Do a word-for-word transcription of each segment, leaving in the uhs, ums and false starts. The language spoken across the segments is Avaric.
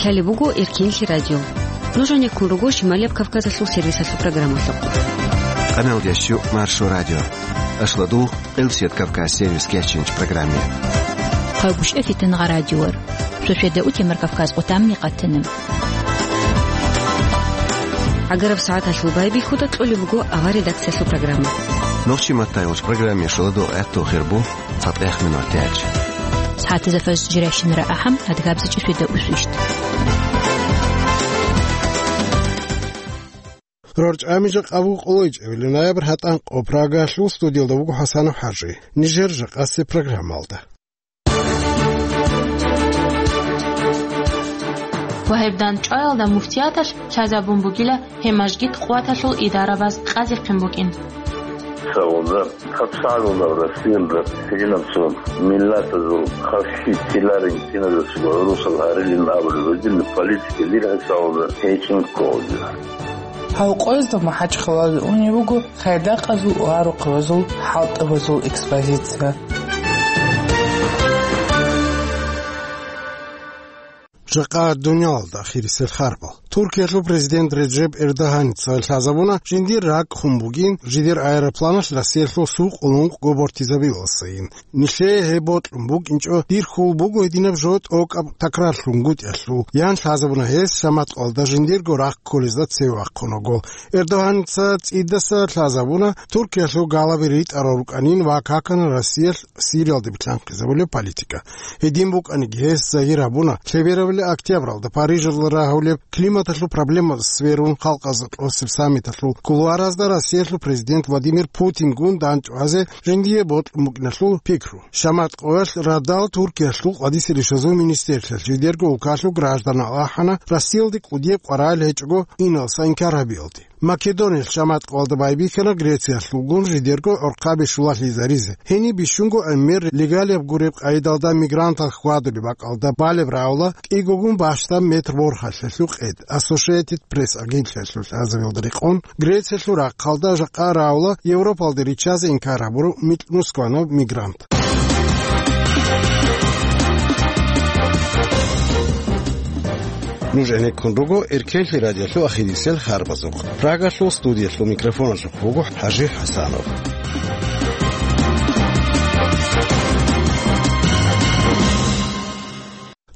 Гьале буго Эркенлъи радио. Нуж гьанеккун руго Шималияб Кавказалъул сервисалъул программалъухъ. Къамел ящу Маршо радио. Ашладул Къилсият Кавказ сервис кечинч программе. Хъагушев Фитнагъа радиор. Шошеда утемар Кавказ къутамни къатана. Агараб сагӀаталъул байбихьуда кьолеб буго авар редакциялъул программа. Нохчи маттайгъуч программе шуладу гӀатту хирбу. ЦатӀех минутач. СагӀатазда фаз жирайщинара ахӀам, адгабзичӀи шуйда усвищт. РорчӀами жакъа буго къолойчӀебили ноябрь гьатӀан къо Прагалъул студиялда вуго ХӀасанов ХӀажи. Нижер жакъасе программалда. Ва гьеб дандчӀваялда муфтияталъ лъазабун бугила гьеб мажгит къуваталъул идарабаз къазихъин букӀин. Савунда хъапсагӀула Россиялда гьединабцун миллатазул хасси тиларин киназасго гӀурусал гьарилин абулеб гьединаб политика дир гьесавунда гьечӀин кколеб. Гьав къоязда МахӀачхъалаялде унеб буго хайдакъазул ва рухъабазул хӀалтӀабазул экспозиция. Жакъа дуниялалда ахирисел харбал. Туркиялъул президент Реджеп Эрдоганица лъазабуна жиндир ракӀ хун бугин, жидер аэропланалъ Россиялъул сукъ унукъго бортизабиласайин. Нилъее гьеб бокьун букӀинчӀо, дир хьул буго гьединаб жо тӀокӀаб такрарлъунгутӀиялъул, ян лъазабуна гьес шаматкъалда жиндирго рахъ кколезда цеве вахъунаго. Эрдоганица цӀидаса лъазабуна, Туркиялъул галаби ритӀарал рукӀанин ва какана Россиялъ Сириялде билълъанхъизабулеб политика. Гьедин букӀаниги, гьес загьир гьабуна, лъеберабали октябралда Парижалда рагьулеб климаталъул проблемаялда сверун халкъазда тӀосеб саммиталъул кулуаразда Россиялъул президент Владимир Путингун дандчӀвазе жиндие бокьун букӀиналъул пикру. Шаматкъоялъ радал Туркиялъул къватӀиса ришазул министрлъиялъ жидерго улкалъул гражданал ахӀана, Россиялде кӀудияб къваригӀел гьечӀого иналса инкар гьабиялде. Македониялъ шаматкъалда байбихьана Грециялъулгун жидерго гӀорхъаби щулалъизаризе. Гьениб бищунго гӀемер легалияб гуреб къайдалда мигрантал хьвадулеб бакӀалда балеб рагӀула кӀигогун бащдаб метр борхалъалъул къед. Associated Press агентлъиялъул лъазабиялда рекъон, Грециялъул рахъалда жакъа рагӀула Европалде риччазе инкар гьабурав микьнусканав мигрант. Нуж гӀенеккун руго Эркенлъи радиолъул ахирисел харбазухъ. Прагалъул студиялъул микрофоналъухъ вуго ХӀажи ХӀасанов.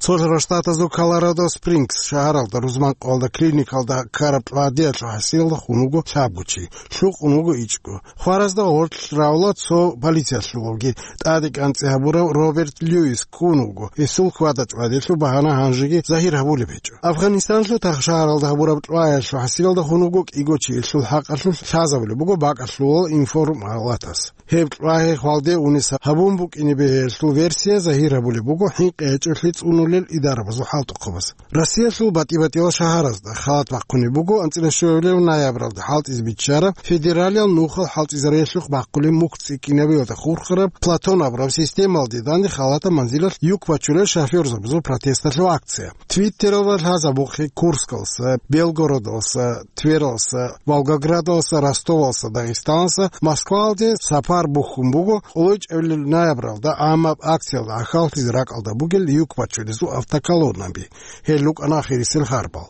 Цолъ Штатазул Колорадо Спрингс шагьаралда рузманкъоялда клиникалда ккараб тӀадиялъул хӀасилда хун вуго лъабгучи, лъукъун вуго ичӀго. Хваразда гъорлъ равла цо полициялъулги. ТӀаде кӀанцӀи гьабурав Роберт Льюис ккун вуго. Гьесул хьвада-чӀвадиялъул багьана гьанжеги загьир гьабулеб гьечӀо. Афгъанистаналъул Тах шагьаралда гьабураб тӀваялъул хӀасилалда хун вуго кӀиго чиясул хӀакъалъулъ лъазабулеб буго бакӀалъулал информалатас. Гьеб тӀвагьи хвалде унес гьабун букӀине бегьелъул версия загьир гьабулеб буго хӀинкъи гьечӀолъи цӀунулел идарабазул хӀалтӀухъабаз. Россиялъул батӀи-батӀиял шагьаразда халат бахъунеб буго анцӀила щуабилеб ноябралда хӀалтӀизе биччараб федералиял нухал хӀалтӀизариялъухъ бахъулеб мухь цӀикӀкӀинабиялда хурхараб Платон абураб системалде данде халатаб манзилалъ юк бачулел шофёрзабазул протесталъул акция. Твиттералда лъазабухъе Курскалса, Белгородалса, Твералса, Волгоградалса, Ростовалса, Дагъистаналса Москвалде сапар бухьун буго къоло чӀебилеб ноябралда, амма акциялда гӀахьаллъизе ракӀалда бугел юк бачулезул автоколоннаби. Гьел рукӀана ахирисел харбал.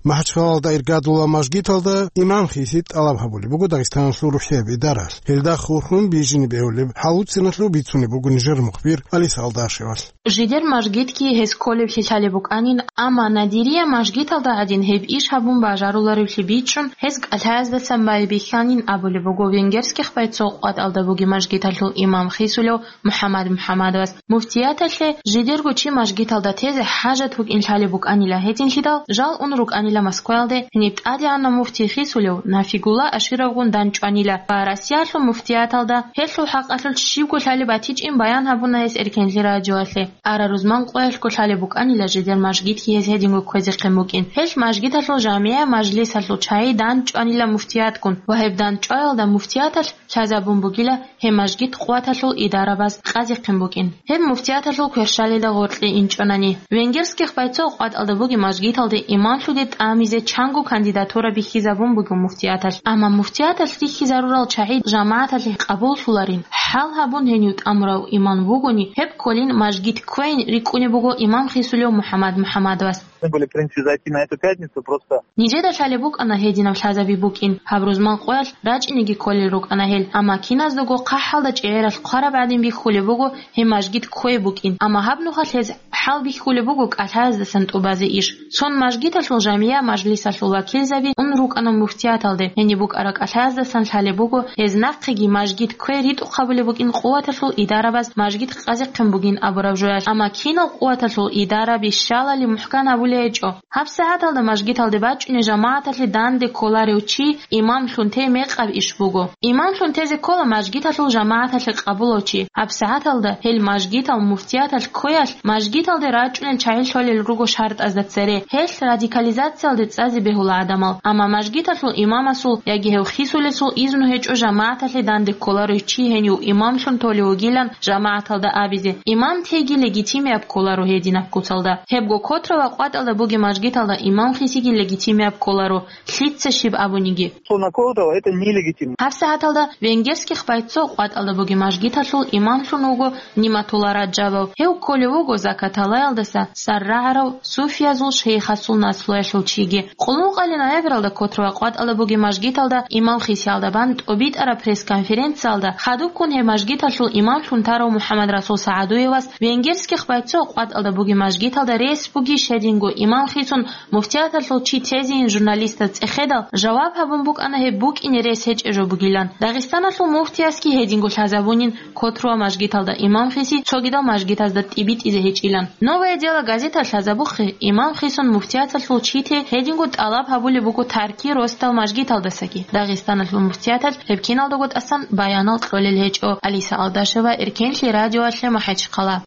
МахӀачхъалалда иргадула мажгиталда имам хиси тӀалаб гьабулеб буго Дагъистаналъул рухӀияб идаралъ. Гьелда хурхун бижине бегьулеб хӀалуццаналъул бицунеб буго нижер мухбир Алис Алдашевалъ. Жидер мажгитги гьес кколеблъи лъалеб букӀанин, амма Надирия мажгиталда гӀадин гьеб иш гьабун бажаруларевлъи бичӀчӀун, гьес кӀалъаздасан байбихьанин абулеб буго венгерских байцо къватӀалда бугеб мажгиталъул имам хисулев МухӀаммад МухӀаммадовас. Муфтияталъе жидерго чи мажгиталда тезе хӀажат букӀин лъалеб букӀанила гьединлъидал, жал ун рукӀанила Москваялде, гьениб тӀадегӀанав муфтий хисулев Нафигулла Ашировгун дандчӀванила ва Россиялъул муфтияталда гьелъул хӀакъалъулъ щибго лъалеб батичӀин баян гьабуна гьес Эркенлъи радиоялъе. Ара рузман къоялъго лъалеб букӀанила жидер мажгитги гьез гьединго кквезе хъен букӀин. Гьелъ мажгиталъул жамигӀа мажлисалъул чагӀи дандчӀванила муфтиятгун ва гьеб дандчӀваялда муфтияталъ лъазабун бугила гьеб мажгит къуваталъул идарабаз къазихъин букӀин. Гьеб муфтияталъул кверщалида гъоркье инчӀонани. Венгерских байцо къватӀалда бугеб мажгиталде имамлъуде амизе чанго кандидатура бихьизабун буго муфтияталъ. Амма муфтияталъ рихьизарурал чагӀи жамагӀаталъе къабуллъуларин, хӀал гьабун гьенив тӀамурав имам вугони, гьеб кколин мажгит кквейин рикӀкӀунеб буго имам хисулев МухӀаммад МухӀаммадовас. Должны были, в принципе, зайти на эту пятницу, просто. Нижеда лъалеб букӀана гьединаб лъазаби букӀин, гьаб рузман къоялъ рачӀинеги кколел рукӀана гьел, амма киназдаго хъахӀалда чӀегӀералъ хъвараб гӀадин бихьулеб буго гьеб мажгит кквей букӀин, амма гьаб нухалъ гьез хӀал бихьулеб буго кӀалъаязасан тӀубазе иш. Цон мажгиталъул жамия мажлисалъул вакилзаби ун рукӀана муфтияталде, гьениб букӀараб кӀалъаздасан лъалеб буго, гьез нахъеги мажгит кквей ритӀухъ гьабулеб букӀин къуваталъул идарабаз мажгит къазехъин бугин абураб жоялъ, амма кинал къуваталъул идараби щалали мухӀкан гьабулей гьечӀо. ГьабсагӀаталда мажгиталде бачӀуней жамагӀаталъе данде кколарев чи имамлъун тей мекъаб иш буго. Имамлъун тезе ккола мажгиталъул жамагӀаталъе къабулав чи. ГьабсагӀаталда гьел мажгитал муфтияталъ кквеялъ мажгиталде рачӀунел чагӀи лъолел руго шартӀазда цере, гьелъ радикализациялде цӀазе бегьула гӀадамал. Амма мажгиталъул имамасул яги гьев хисулесул изну гьечӀо жамагӀаталъе данде кколарев чи гьенив имамлъун толев вугилан жамагӀаталда абизе. Имам тейги легитимияб кколаро гьединаб куцалда. Гьебго Котра ва КъватӀалда бугеб мажгиталда имам хисиги легитимияб кколаро, лъица щиб абуниги. Что на Котрово, это нелегитимно. ГьабсагӀаталда Венгерских Бойцов КъватӀалда бугеб мажгиталъул имамлъун вуго Ниматулла Раджабов. Гьев кколев вуго Закаталаялдаса саррагӀарав суфиязул шейхасул наслуялъул чиги. Къулмукъали ноябралда Котра ва КъватӀалда бугеб мажгиталда имам хисиялда бан тӀобитӀараб пресс-конференциялда хадубккун гьеб мажгиталъул имамлъун тарав МухӀаммадрасул СагӀадуевас Венгерских Бойцов КъватӀалда бугеб мажгиталда рес бугищ гьединго имам хисун муфтияталъул чи тезейин журналистаз цӀехедал, жаваб гьабун букӀана гьеб букӀине рес гьечӀеб жо бугилан. Дагъистаналъул муфтиясги гьединго лъазабунин, Котруа мажгиталда имам хиси цогидал мажгитазда тӀибитӀизе гьечӀилан. «Новое дело» газеталъ лъазабухъе, имам хисун муфтияталъул чи те гьединго тӀалаб гьабулеб буго Тарки росдал мажгиталдасаги. Дагъистаналъул муфтияталъ гьеб киналдаго тӀасан баянал кьолел гьечӀо. Алиса Алдашева, Эркенлъи радиоялъе, МахӀачхъала.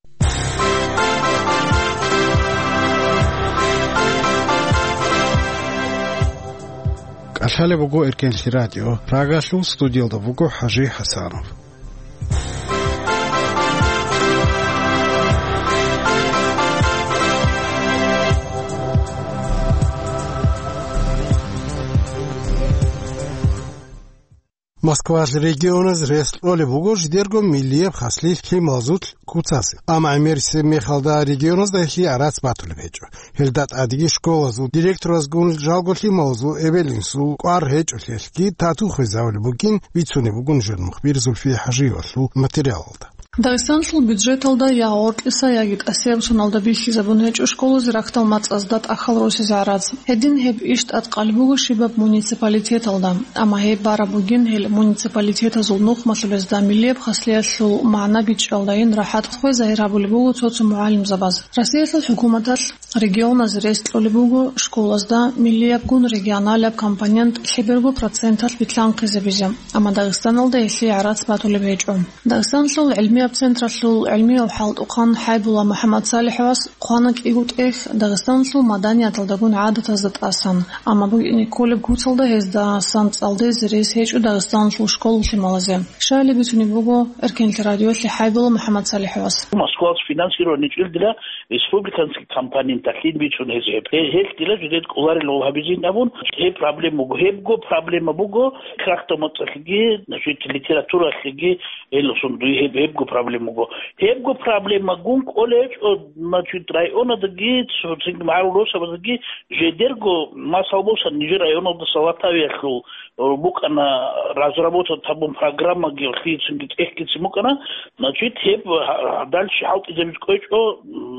КӀалъалеб буго Эркенлъи радио. Прагалъул студиялда вуго ХӀажи ХӀасанов. Москвалъ регионаз рес кьолеб буго жидерго миллияб хаслъи лъималазул куцазе. Амма гӀемерисеб мехалда регионазда гьелъие гӀарац батулеб гьечӀо. Гьелда тӀадеги школазул директоразгун жалго лъималазул эбел-инсул кӀвар гьечӀолъиялъги тату хвезавулеб бугин бицунеб буго нужер мухбир Зульфия ХӀажиевалъул материалалда. Дагъистанлъул бюджеталда я гъоркьиса, яги тӀасияб соналда бихьизабун гьечӀо школазе рахьдал мацӀазда тӀахьал росизе гӀарац. Гьедин гьеб иш тӀадкъалеб буго щибаб муниципалитеталда, амма гьеб бараб бугин гьел муниципалитетазул нухмалъулезда миллияб хаслъиялъул магӀна бичӀчӀалдайин рахӀат хвей загьир гьабулеб буго цо-цо мугӀалимзабаз. Россиялъул хӀукуматалъ регионазе рес кьолеб буго школазда миллиябгун регионалияб компонент лъеберго проценталъ битлъанхъизабизе, амма Дагъистаналда гьелъие гӀарац батулеб гьечӀо. Дагъистанлъул гӀилмияб централъул гӀилмияв хӀалтӀухъан ХӀайбулла МухӀаммад СалихӀовас хъвана кӀиго тӀехь Дагъистанлъул маданияталдагун гӀадатазда тӀасан, амма букӀине кколеб куцалда гьездасан цӀалдезе рес гьечӀо Дагъистанлъул школа лъималазе. Щайилеб бицунеб буго Эркенлъи радиоялъе ХӀайбулла МухӀаммад СалихӀовас. Москвалъ финансирование чӀил дила республиканский компоненталъин бичӀчӀун гьез гьеб. Гье-, гьелъ дила жидед кӀоларел гьабизин абун, гьеб проблема буго. Гьебго проблема буго, рахьдал мацӀалъги, значит, литературалъги, гьелъусун дуе гьеб, гьебго проблема буго. Гьебго проблемагун кӀолечӀо, значит, районадаги, цинги магӀарул росабаздаги жидерго, масал босани, нижер районалдаса Латавиялъул букӀана разработать гьабун программаги, лъицинги тӀехьгицин букӀана, значит, гьеб гьа-, гьадалщи хӀалтӀизабиз кӀвечӀо,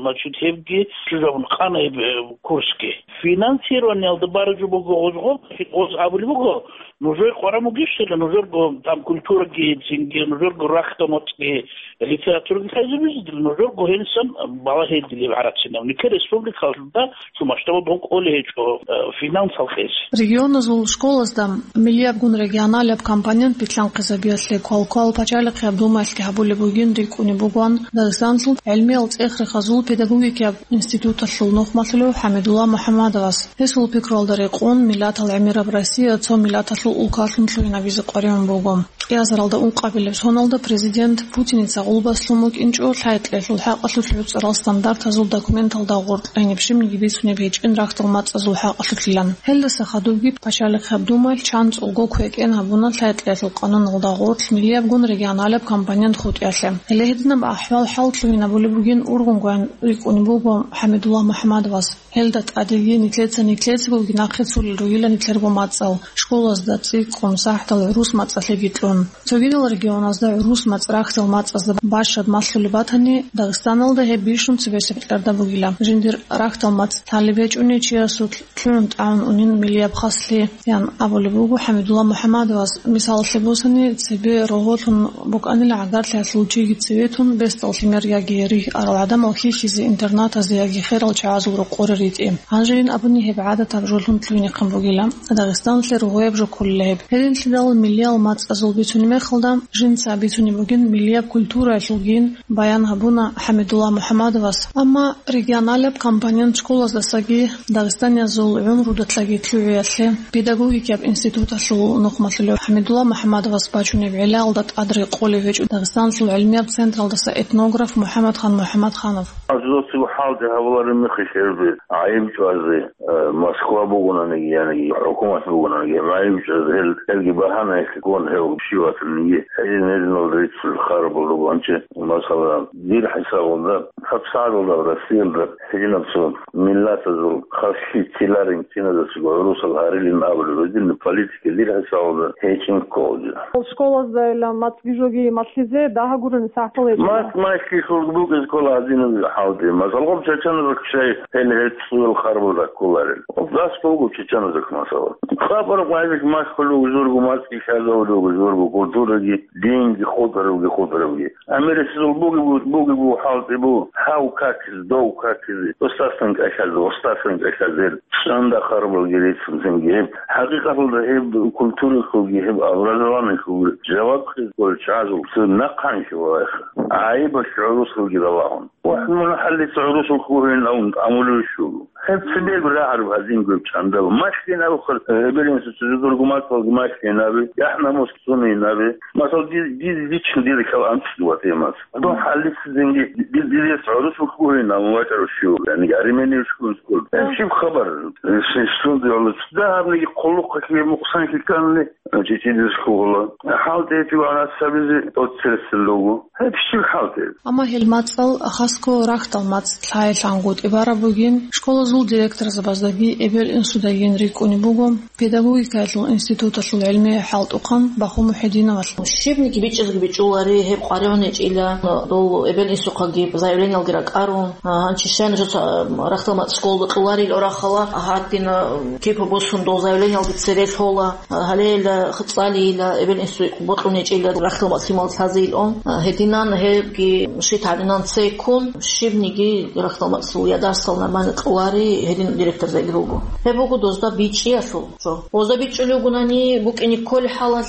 значит, гьебги чӀужугӀун къана гьеб, э, курсги. Финансированиялда баражу буго гъозго, гъоз абулеб буго, нужер къваран бугищила, нужерго там культураги, цинги, нужерго рахьдал мацӀги, литератураги лъазабизе, нужерго гьенисан балагье дилеб гӀарацинав. Нике республикалда цо масштабалда гьун кӀолей гьечӀо, э, финансал хӀезе. Регионазул школазда миллиябгун регионалияб компонент битлъанхъизабиялъе квалквал пачалихъияб думаялъги гьабулеб бугин рикӀкӀунеб бугоан Дагъистанлъул гӀилмиял цӀех-рехазул педагогикияб институталъул нухмалъулев ХӀамидулла МухӀаммадовас. Гьесул пикруялда рекъон, миллатал гӀемераб Россия цо миллаталъул улкалъун лъугьинабизе къваригӀун буго. Кьиазаралда ункъабилеб соналда президент Путиница гъулбаслъун букӀинчӀо лъай-кьеялъул хӀакъалъулъ гӀуцӀарал стандартазул документалда гъоркь гьениб щибниги бицунеб гьечӀин рахьдал мацӀазул хӀакъалъулъилан. Гьелдаса хадубги Пачалихъаб Думаялъ чан цӀолго квекӀен гьабуна лъай-кьеялъул къануналда гъоркь миллиябгун регионалаб компонент хутӀиялъе. Гьеле гьединаб ахӀвал-хӀал лъугьинабулеб бугин ургъунгоян рикӀкӀунеб буго ХӀамидулла МухӀаммадовас. Гьелда тӀадеги нилъеца-нилъецаго нахъе цолел ругила нилъерго мацӀал, школазда, цӀикӀкӀун, сахӀдал гӀурус мацӀалъеги кьун. Цогидал регионазда гӀурус мацӀ рахьдал мацӀазда бащад малъулеб батани, Дагъистаналда гьеб бищун цебесеб кьарда бугила. Жиндир рахьдал мацӀ лъалеб гьечӀони чиясулъ лъугӀун тӀагӀун унин миллияб хаслъи, ян абулеб буго ХӀамидулла МухӀаммадовас. Мисалалъе босани, цебе рогьолъун букӀанила гӀагарлъиялъул чиги цеве тун бесдал лъимер яги ригь арал гӀадамал хьихьизе интернатазде яги херал чагӀазул рокъоре ритӀи. Гьанжейин абуни гьеб гӀадатаб жолъун лъугьинехъин бугила. Дагъистаналъе рогьояб жо кколила гьеб. Гьединлъидал миллиял мацӀазул бицунеб мехалда, жинца бицунеб бугин миллияб культураялъулгин, баян гьабуна ХӀамидулла МухӀаммадовас. Амма регионалаб компонент школаздасаги Дагъистаниязул гӀумрудалъаги лъугӀиялъе педагогикияб институталъул нухмалъулев ХӀамидулла МухӀаммадовас бачунеб гӀиллаялда тӀад рекъолев гьечӀо Дагъистаналъул гӀилмияб централдаса этнограф МухӀаммадхан МухӀаммадханов. Азоци хӀалде гьавлареб мехалъ гьеб гӀайиб чӀвазе, э, Москва бугонаниги, яниги хӀукумат бугонаниги, гьеб гӀайиб чӀвазе, гьел, гьелги багьанаялъе ккун гьев щиватаниги, гьедин-гьединалда риццул харабал ругончи, масала, дир хӀисабалда, гьабсагӀадалда Россиялда гьединаб цо миллатазул хаслъи тиларин киназасего гӀурусал гьарилин абулеб гьединаб политика дир хӀисабалда гьечӀин кколчӀо. Школаздайилан мацӀги жоги малъизе дагьагурани сахӀбал гьечӀо. МацӀ малъилъулги букӀизе ккола гьадинаб хӀалде. Масала, гъоб чачаназухъ щай гьел гьечӀ цоял харбалда кколарел? Гъоб дас буго чачаназухъ, масала. Къапараб гъайбилъ малъулев журго мацӀги лъазавулев журго культураги, динги, хутӀарабги, хутӀарабги. Америсезул буги бу-, буги бу хӀалтӀи бу, гьав какизе, дов какизе, устасан кӀалъазе, устасан кӀалъазе, чӀанда харбалги рицун цинги гьеб. ХӀакъикъаталда гьеб культуралъулги, гьеб образованиялъулги жаваб хъизкъол чӀвазул цо нахъанлъи валайха. ГӀайибалъ гӀурусалги ралагьун. Ва мун хӀалица гӀурусул хьухьин авун амулев щуго. Гьеб цебе рагӀараб гьадинго гьеб чӀандал. Малъин абухъал, э, эбел-инсуца жидерго мацӀалги малъин абе, яхӀ-намус цунин абе. Масал, дир, дир лично дир хьал анцӀго ватӀимас. Дун хӀалицизинги дир, дир гӀурусул хьухьин авун вачӀарав щуго, яни армениев щуго. Гьеб щиб хабар? Э, сунда гьалуц. Дагьабниги хъулухъалъе мукъсанлъи кканани, э, чӀичӀидизе хьугьула. ХӀалтӀи гьечӀо гьанас гьабизе тӀоцересел руго. Гьеб щиб хӀалтӀи? Амма гьел мацӀал хасго рахьдал мацӀ лъай-лъангутӀи бараб бугин, школазул директорзабаздаги эбел-инсудагин рикӀкӀунеб буго педагогикаялъул институталъул гӀилмияв хӀалтӀухъан Баху МухӀединовалъ. Щибниги бичӀчӀизеги бичӀчӀулари, гьеб къваригӀун гьечӀила, дол эбел-инсухъаги заявлениялги ракӀарун, а, гьанчи щай нужеца, а, рахьдал мацӀ школалда кьоларил орахъала, гьадин, а, кипа босун дол заявлениялги цере лъола. Гьале ила цӀалейила, эбел-инсуе бокьун гьечӀила рахьдал мацӀ лъимал лъазейилан. Гьединан гьебги щит гьадинан цекун, щибниги рахьдал мацӀ я дарсал нормально кьолари, гьедин директорзаги руго. Гьеб буго дозда бичӀчӀиялъул жо. Дозда бичӀчӀулев вугонани, букӀине кколеб хӀалалъ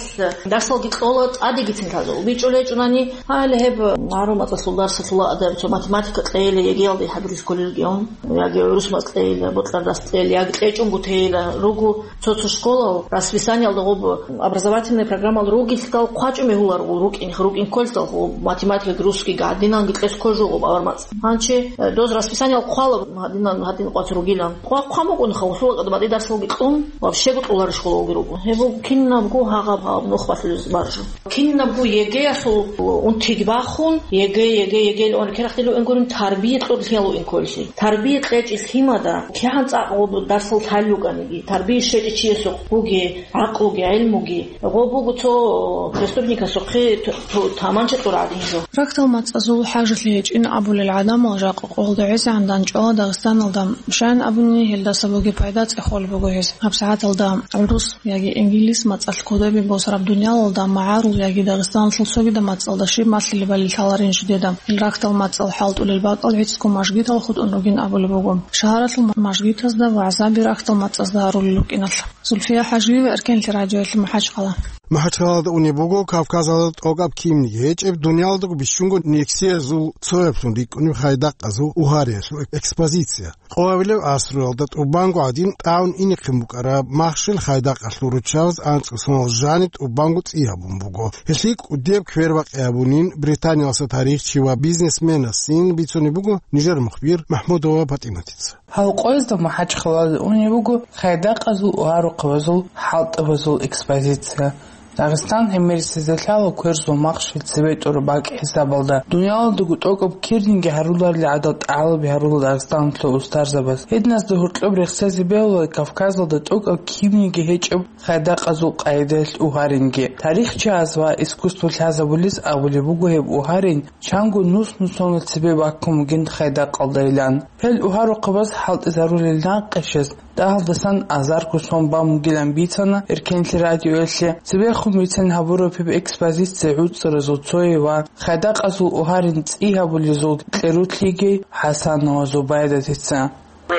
дарсалги кьола, тӀадегицин лъазул. БичӀчӀулев гьечӀонани, гьале гьеб гӀурус мацӀалъул дарсалъула адаб цо математика кьейила, ЕГЭялде хӀадурлъи кколелгиун. Яги гӀурус мацӀ кьейила, бокьарас кьейила, яги кьечӀунго тейила руго цо-цо школал, расписаниялда гъоб образовательный программал ругелъидал хъвачӀун бегьуларо рукӀин, рукӀин кколъидал гъоб математикаги, русскийги гьадинанги кьес кколеб жо гъоб авар мацӀ. Гьанчи, э, доз расписаниялда хъвала гьадинан, гьадин къватӀ ругилан. Хъва-, хъван букӀунха, гъосул къадамаде дарсалги кьун, вообще-го кьолареб школа бугеб буго. Гьеб буго кинабго гьагъаб-гьагъаб нух балъулеб баржу. Кинабго ЕГЭялъул унтиги бахун, ЕГЭ, ЕГЭ, ЕГЭ лъугӀун рекерахъе лъугӀин гурин, тарбия кьолъиялъул инколлъи. Тарбия кьечӀеб лъимада, кигӀан цӀакъ гъоб дарсал лъалел рукӀаниги, тарбия щвечӀев чиясухъ бугеб, гӀакълуги, гӀелмуги, гъоб буго цо преступникасухъе т-, т-, таманча кьураб гӀадин жо. Рахьдал мацӀазул хӀажалъи гьечӀин абулел гӀадамал жакъа къоялда гӀезегӀан дандчӀвала Дагъистаналда. Щайин абуни, гьелдаса бугеб пайда цӀехолеб буго гьез. ГьабсагӀаталда гӀурус яги инглис мацӀалъ кодобе босараб дуниялалда магӀарул яги Дагъистаналъул цогидаб мацӀалда щиб малъилебали лъаларин жидеда. Гьел рахьдал мацӀал хӀалтӀулел бакӀал гӀицӀго мажгитал хутӀун ругин абулеб буго. Шагьаралъул мажгитазда вагӀзаби рахьдал мацӀазда гьарулел рукӀиналъ. Зульфия ХӀажиева, Эркенлъи радиоялъ, МахӀачхъала. МахӀачхъалада унеб буго Кавказалда тӀокӀаб кибниги гьечӀеб, дуниялалдаго бищунго нексиязул цояблъун рикӀкӀунеб хайдакъазул угьариялъул экспозиция. Къоабилеб гӀасруялда тӀубанго гӀадин тӀагӀун инехъин букӀараб махщел хайдакъалъул руччабаз анцӀго соналъ жаниб тӀубанго цӀи гьабун буго. Гьелъие кӀудияб квербакъи гьабунин Британиялъа тарихчи ва бизнесменасин бицунеб буго нижер мухбир МахӀмудова ПатӀиматица. Гьал къоязда МахӀачхъалада унеб буго хайдакъазул угьарухъабазул хӀалтӀабазул экспозиция. Дагъистан гӀемерисезда лъала кверзул махщел цебетӀураб бакӀ хӀисабалда. Дуниялалдаго тӀокӀаб кибниги гьаруларел гӀадал тӀалаби гьарула Дагъистаналъул устарзабаз. Гьединазда гьоркьоб рехсезе бегьула Кавказалда тӀокӀаб кибниги гьечӀеб хайдакъазул къагӀидаялъ угьаринги. Тарихчияз ва искусство лъазабулез абулеб буго гьеб угьарин чанго нус-нусоналъ цебе баккун бугин хайдакъалдайилан. Гьел угьарухъабаз хӀалтӀизарулел накъишаз дагьалдасан азарго сон бан бугилан бицана Эркенлъи радиоялъе. Цебехун бицен гьабураб гьеб экспозиция гӀуцӀаразул цое ва хайдакъазул угьарин цӀи гьабулезул кьерутлъиги ХӀасанова Зубайдатица.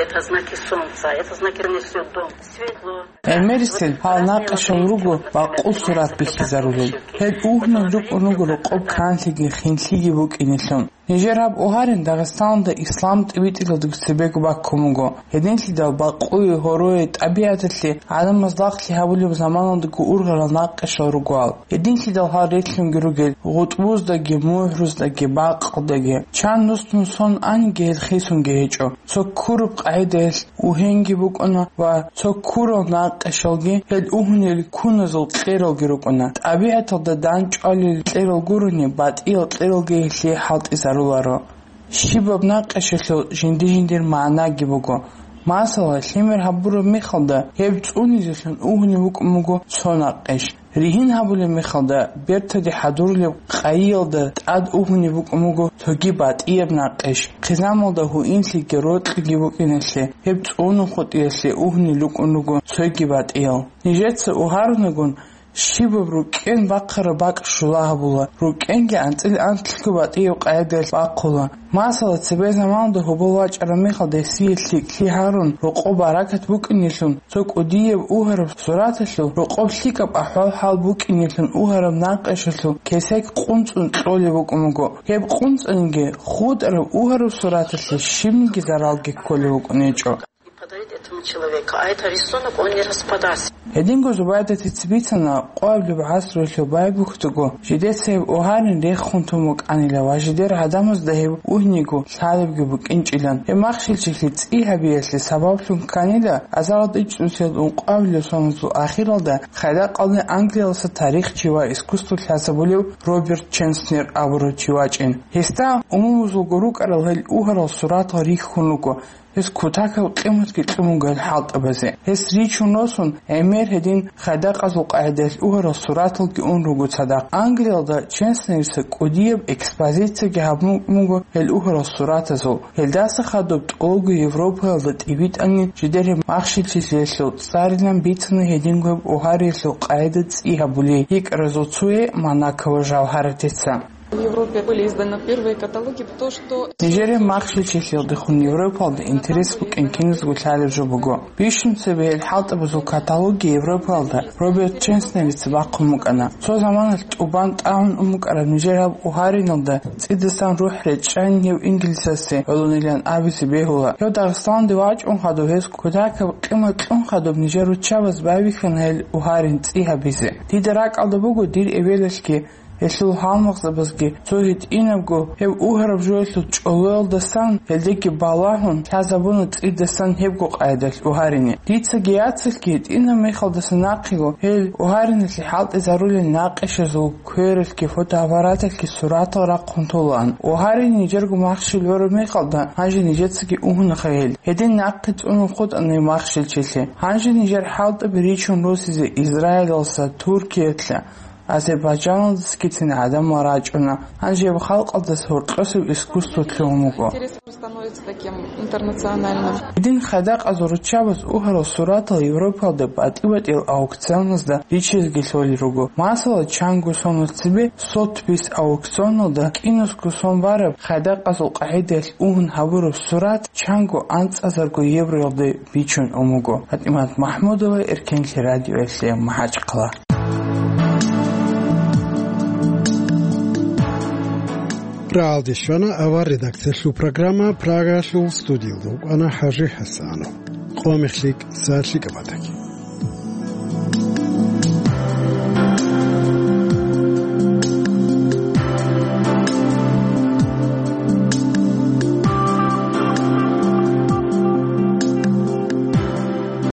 Это знаки солнца, это знаки, что дом светло. ГӀемерисел гьал накъишал руго бакъул сурат бихьизарулел. Гьел угьнул рукӀун руго рокъоб канлъиги хинлъиги букӀинелъул. Нижер гьаб угьарин Дагъистаналда ислам тӀибитӀиялдаго цебего баккун буго. Гьединлъидал бакъуе, гьорое, тӀабигӀаталъе гӀадамаз лагълъи гьабулеб заманалдаго ургъарал накъишал ругоал. Гьединлъидал гьал релълъунги ругел гъутӀбуздаги, мугӀруздаги, бакъалдаги. Чан нус-нусон аниги гьел хисунги гьечӀо. Цо ккураб къагӀидаялъ угьенги букӀуна ва цо ккурал накъишалги гьел угьунел куназул кьералги рукӀуна. ТӀабигӀаталда дандчӀвалел кьерал гурони, батӀиял кьералги гьелъие хӀалтӀизаруларо. Щибаб накъишалъул жинди-жиндир магӀнаги буго. Масала, лъимер гьабураб мехалда, гьеб цӀунизелъун угьунев вукӀун буго цо накъиш. Ригьин гьабулеб мехалда, бертаде хӀадурулеб къайиялда тӀад угьунеб букӀун буго цоги батӀияб накъиш, хъизамалда гьуинлъиги рокьиги букӀиналъе гьеб цӀунун хутӀиялъе угьунел рукӀун руго цоги батӀиял. Нижеца угьарунагун, щибаб рукӀен бахъараб бакӀ щула гьабула, рукӀенги анцӀила анлъго батӀияб къайдаялъ бахъула. Масала, цебе заманалда гьобол вачӀараб мехалда гьесие лъикӀлъи гьарун, рокъоб баракат букӀинелъун, цо кӀудияб угьараб сураталъул рокъоб лъикӀаб ахӀвал-хӀал букӀинелъун угьараб накъишалъул кесек къунцӀун кьолеб букӀун буго. Гьеб къунцӀаниги хутӀараб угьараб сураталъе щибниги заралги кколеб букӀун гьечӀо. И подарить этому человеку, а это рисунок, он не распадался. Гьединго Зубайдатица бицана, къоабилеб гӀасруялъул байбухьдего, жидеца гьеб угьарин рехун тун букӀанила ва жидер гӀадамазда гьеб угьниго лъалебги букӀинчӀилан. Гьеб махщелчилъи цӀи гьабиялъе сабаблъун кканила, азарилда ичӀнусиялда ункъабилеб соналъул ахиралда хайдакъалде Англиялъа тарихчи ва искусство лъазабулев Роберт Ченснер абурав чи вачӀин. Гьесда умумузулго рукӀарал гьел угьарал суратал рихьун руго. Гьес кутакаб къиматги кьун буго гьел хӀалтӀабазе. Гьес ричун росун, гӀемер гьедин хайдакъазул къагӀидаялъ угьарал сураталги ун руго цадахъ. Англиялда Ченснерица кӀудияб экспозицияги гьабун буго гьел угьарал суратазул. Гьелдаса хадуб тӀолго Европаялда тӀибитӀани жидер гьеб махщелчилъиялъул цӀарилан бицана гьединго гьеб угьариялъул къагӀида цӀи гьабулей йикӀаразул цое Монакова Жавгьаратица. В Европе были изданы первые каталоги, то, что Нижер гьеб махщелчилъиялдехун Европалда интерес букӀин киназго лъалеб жо буго. Бищун цебе гьел хӀалтӀабазул каталоги Европалда Роберт Ченснерица бахъун букӀана. Цо заманалъ тӀубан тӀагӀун ун букӀараб нижер гьаб угьариналда цӀидасан рухӀ речӀчӀанин гьев инглисасе гӀолонилан абизе бегьула. Гьев Дагъистаналде вачӀун хадуб гьес кутакаб къимат кьун хадуб нижер руччабаз байбихьана гьел угьарин цӀи гьабизе. Дида ракӀалда буго дир эбелалъги, гьелъул гьалмагъзабазги цо гьитӀинабго гьеб угьараб жоялъул чӀолоялдасан, гьелдеги балагьун, лъазабуна цӀидасан гьебго къайдалъ угьарине. Дицаги яцалъги гьитӀинаб мехалдаса нахъего гьел угьариналъе хӀалтӀизарулел накъишазул квералъги фотоаппараталъги суратал рахъун толаан. Угьарин нижерго махщел лъураб мехалда, гьанже нижецаги угьунаха гьел. Гьедин нахъе цӀунун хутӀана гьеб махщелчилъи. Гьанже нижер хӀалтӀаби ричун росизе Израилалъа, Туркиялъа, Азербайджаналдасагицин гӀадамал рачӀуна. Гьанже гьеб халкъалдаса гьоркьосеб искусство лъугьун буго. Интерес становится таким интернациональным. Гьедин хайдакъазул руччабаз угьарал суратал Европалда батӀи-батӀиял аукционазда ричизеги лъолел руго. Масала, чанго соналъ цебе Сотбис аукционалда кӀинусго сон бараб хайдакъазул къагӀидаялъ угьун гьабураб сурат чанго анцӀазарго евроялде бичун ун буго. ПатӀимат МахӀмудова, Эркенлъи радиоялъе, МахӀачхъала. Прагьалде щвана авар редакциялъул программа. Прагаялъул студиялда вукӀана ХӀажи ХӀасанов. Къо мехлъи кӀса лъикӀаб батаги.